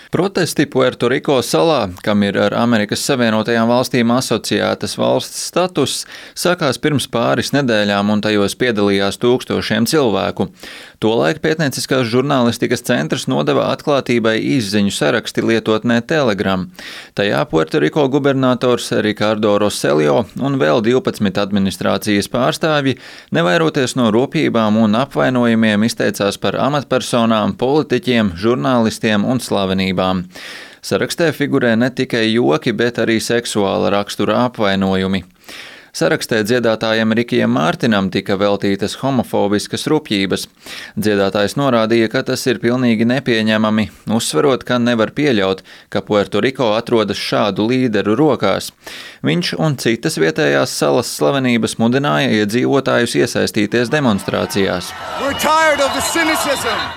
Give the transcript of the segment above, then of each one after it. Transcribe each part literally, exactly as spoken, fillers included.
Protesti Puertoriko salā, kam ir ar Amerikas Savienotajām valstīm asociētas valsts status, sākās pirms pāris nedēļām un tajos piedalījās tūkstošiem cilvēku. Tolaik pētnieciskās žurnālistikas centrs nodeva atklātībai izziņu saraksti lietotnē Telegram. Tajā Puertoriko gubernators Ricardo Roselio un vēl divpadsmit administrācijas pārstāvji, nevairoties no rūpībām un apvainojumiem, izteicās par amatpersonām, politiķiem, žurnālistiem un slavenībām. Sarakstē figurē ne tikai joki, bet arī seksuāla rakstura apvainojumi. Sarakstē dziedātājam Rikijam Mārtinam tika veltītas homofobiskas rupjības. Dziedātājs norādīja, ka tas ir pilnīgi nepieņemami, uzsverot, ka nevar pieļaut, ka Puertoriko atrodas šādu līderu rokās. Viņš un citas vietējās salas slavenības mudināja iedzīvotājus iesaistīties demonstrācijās.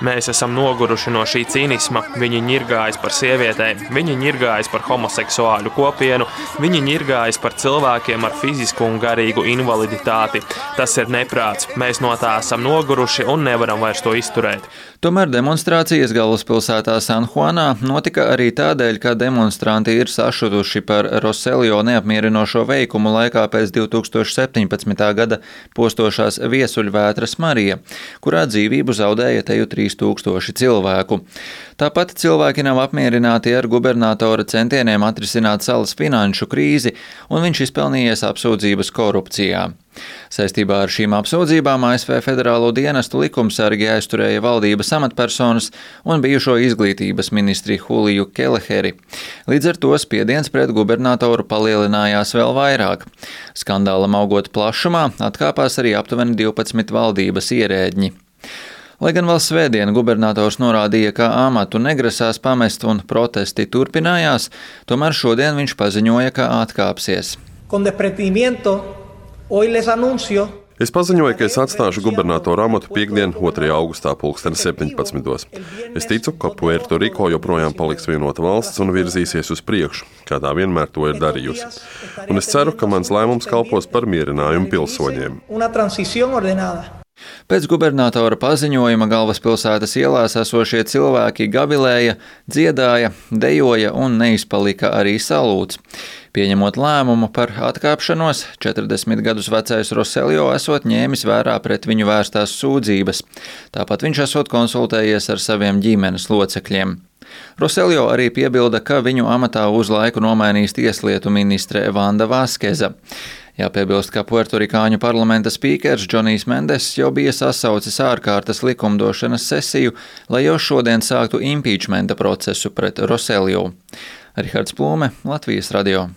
Mēs esam noguruši no šī cīnisma. Viņi ņirgājas par sievietēm, viņi ņirgājas par homoseksuāļu kopienu, viņi ņirgājas par cilvēkiem ar fizisku un garīgu invaliditāti. Tas ir neprāts. Mēs no tā esam noguruši un nevaram vairs to izturēt. Tomēr demonstrācijas galvaspilsētā San Juanā notika arī tādēļ, ka demonstranti ir sašutuši par Roselio neapmierinošo veikumu laikā pēc divi tūkstoši septiņpadsmitā gada postošās viesuļvētras Marija, kurā dzīvību zaudēja teju trīs tūkstoši cilvēku. Tāpat cilvēki nav apmierināti ar gubernatora centieniem atrisināt salas finanšu krīzi, un viņš izpelnījies apsūdzības korupcijā. Saistībā ar šīm apsūdzībām A S V Federālo dienestu likumsargi aizturēja valdības amatpersonas un bijušo izglītības ministri Juliju Keleheri. Līdz ar to spiediens pret gubernatoru palielinājās vēl vairāk. Skandālam augot plašumā, atkāpās arī aptuveni divpadsmit valdības ierēdņi. Lai gan vēl svētdien gubernators norādīja, ka amatu negrasās pamest un protesti turpinājās, tomēr šodien viņš paziņoja, ka atkāpsies. Es paziņoju, ka es atstāšu gubernatora amatu piektdien, otrajā augustā pulksten septiņpadsmitos. Es ticu, ka Puertoriko joprojām paliks vienota valsts un virzīsies uz priekšu, kā tā vienmēr to ir darījusi. Un es ceru, ka mans lēmums kalpos par mierinājumu pilsoņiem. Pēc gubernatora paziņojuma galvaspilsētas ielās esošie cilvēki gavilēja, dziedāja, dejoja un neizpalika arī salūts. Pieņemot lēmumu par atkāpšanos, četrdesmit gadus vecais Roselio esot ņēmis vērā pret viņu vērstās sūdzības. Tāpat viņš esot konsultējies ar saviem ģimenes locekļiem. Roselio arī piebilda, ka viņu amatā uz laiku nomainīs tieslietu ministre Vanda Vaskeza. Jāpiebilst, ka puertorikāņu parlamenta spīkers Džonijs Mendes jau bija sasaucis ārkārtas likumdošanas sesiju, lai jau šodien sāktu impeachmenta procesu pret Roselio. Rihards Plūme, Latvijas radio.